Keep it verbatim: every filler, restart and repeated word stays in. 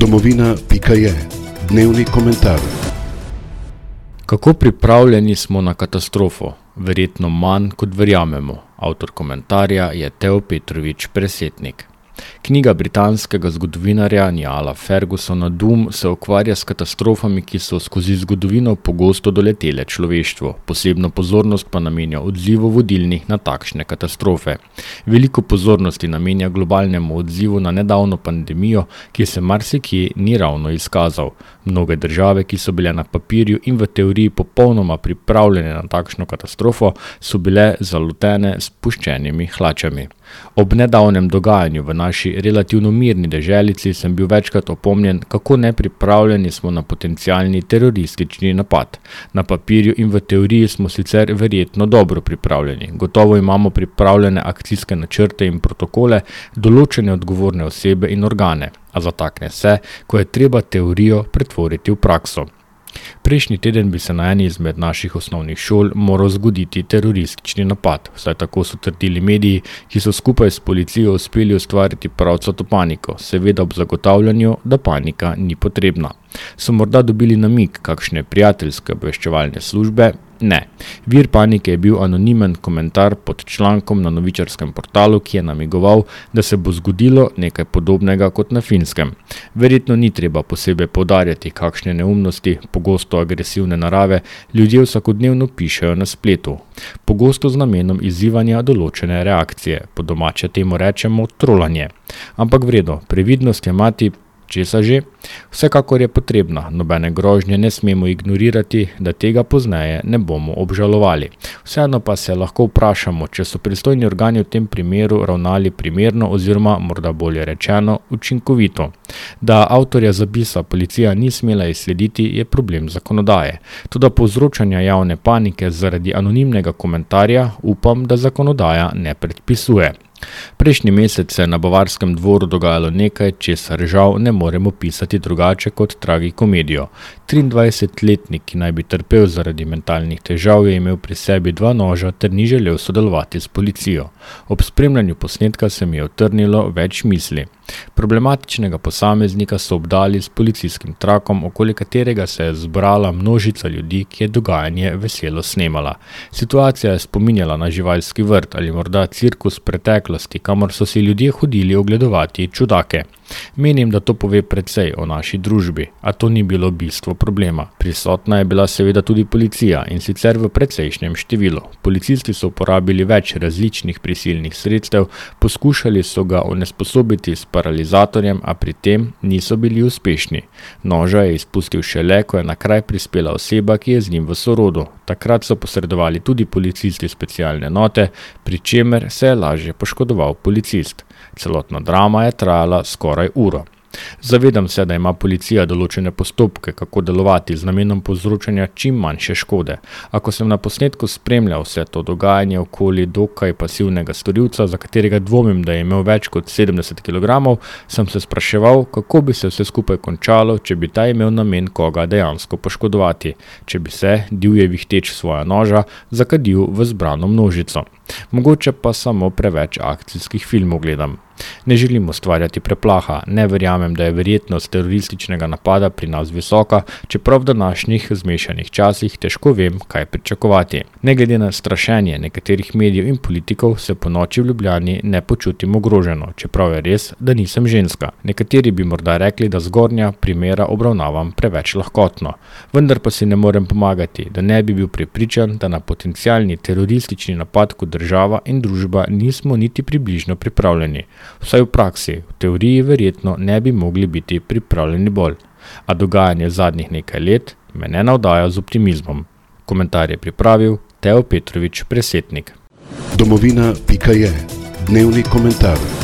Domovina pika je dnevni komentar. Kako pripravljeni smo na katastrofo? Verjetno manj, kot verjamemo. Avtor komentarja je Teo Petrovič Presetnik. Knjiga britanskega zgodovinarja Niala Fergusona Doom se ukvarja s katastrofami, ki so skozi zgodovino pogosto doletele človeštvo. Posebno pozornost pa namenja odzivu vodilnih na takšne katastrofe. Veliko pozornosti namenja globalnemu odzivu na nedavno pandemijo, ki se marsikje ni ravno izkazal. Mnoge države, ki so bile na papirju in v teoriji popolnoma pripravljene na takšno katastrofo, so bile zalotene s puščenimi hlačami. Ob nedavnem dogajanju v naši relativno mirni deželici sem bil večkrat opomnjen, kako nepripravljeni smo na potencialni teroristični napad. Na papirju in v teoriji smo sicer verjetno dobro pripravljeni. Gotovo imamo pripravljene akcijske načrte in protokole, določene odgovorne osebe in organe, a zatakne se, ko je treba teorijo pretvoriti v prakso. Prejšnji teden bi se na eni izmed naših osnovnih šol moral zgoditi teroristični napad, vsaj tako so trdili mediji, ki so skupaj s policijo uspeli ustvariti pravcato paniko, seveda ob zagotavljanju, da panika ni potrebna. So morda dobili namig kakšne prijateljske obveščevalne službe? Ne. Vir panike je bil anonimen komentar pod člankom na novičarskem portalu, ki je namigoval, da se bo zgodilo nekaj podobnega kot na Finskem. Verjetno ni treba posebej poudarjati, kakšne neumnosti, pogosto agresivne narave, ljudje vsakodnevno pišejo na spletu. Pogosto z namenom izzivanja določene reakcije, po domače temu rečemo trolanje. Ampak vredo, previdnost je mati česa že? Vsekakor je potrebna, nobene grožnje ne smemo ignorirati, da tega pozneje ne bomo obžalovali. Vseeno pa se lahko vprašamo, če so pristojni organi v tem primeru ravnali primerno oziroma morda bolje rečeno učinkovito. Da avtorja zapisa policija ni smela izslediti, je problem zakonodaje. Toda povzročanja javne panike zaradi anonimnega komentarja upam, da zakonodaja ne predpisuje. Prejšnji mesec se je na Bavarskem dvoru dogajalo nekaj, česar žal ne moremo pisati drugače kot tragikomedijo. triindvajsetletnik, ki naj bi trpel zaradi mentalnih težav, je imel pri sebi dva noža ter ni želel sodelovati s policijo. Ob spremljanju posnetka se mi je utrnilo več misli. Problematičnega posameznika so obdali s policijskim trakom, okoli katerega se je zbrala množica ljudi, ki je dogajanje veselo snemala. Situacija je spominjala na živalski vrt ali morda cirkus preteklosti, kamor so si ljudje hodili ogledovati čudake. Menim, da to pove precej o naši družbi, a to ni bilo bistvo problema. Prisotna je bila seveda tudi policija in sicer v precejšnjem številu. Policisti so uporabili več različnih prisilnih sredstev, poskušali so ga onesposobiti s paralizatorjem, a pri tem niso bili uspešni. Noža je izpustil šele, ko je na kraj prispela oseba, ki je z njim v sorodu. Takrat so posredovali tudi policisti specialne enote, pri čemer se je lažje poškodoval policist. Celotna drama je trajala skoraj uro. Zavedam se, da ima policija določene postopke, kako delovati z namenom povzročanja čim manjše škode. Ako sem na posnetku spremljal vse to dogajanje okoli dokaj pasivnega storilca, za katerega dvomim, da je imel več kot sedemdeset kilogramov, sem se spraševal, kako bi se vse skupaj končalo, če bi ta imel namen koga dejansko poškodovati, če bi se, divje vihteč svoja noža, zakadil v zbrano množico. Mogoče pa samo preveč akcijskih filmov gledam. Ne želim ustvarjati preplaha, ne verjamem, da je verjetnost terorističnega napada pri nas visoka, čeprav v današnjih zmešanih časih težko vem, kaj pričakovati. Ne glede na strašenje nekaterih medijev in politikov, se po noči v Ljubljani ne počutim ogroženo, čeprav je res, da nisem ženska. Nekateri bi morda rekli, da zgornja primera obravnavam preveč lahkotno. Vendar pa si ne morem pomagati, da ne bi bil prepričan, da na potencialni teroristični napad kot država in družba nismo niti približno pripravljeni. Vsaj v praksi, v teoriji verjetno ne bi mogli biti pripravljeni bolj. A dogajanje zadnjih nekaj let me ne navdaja z optimizmom. Komentar je pripravil Teo Petrovič Presetnik. Domovina pika je dnevni komentar.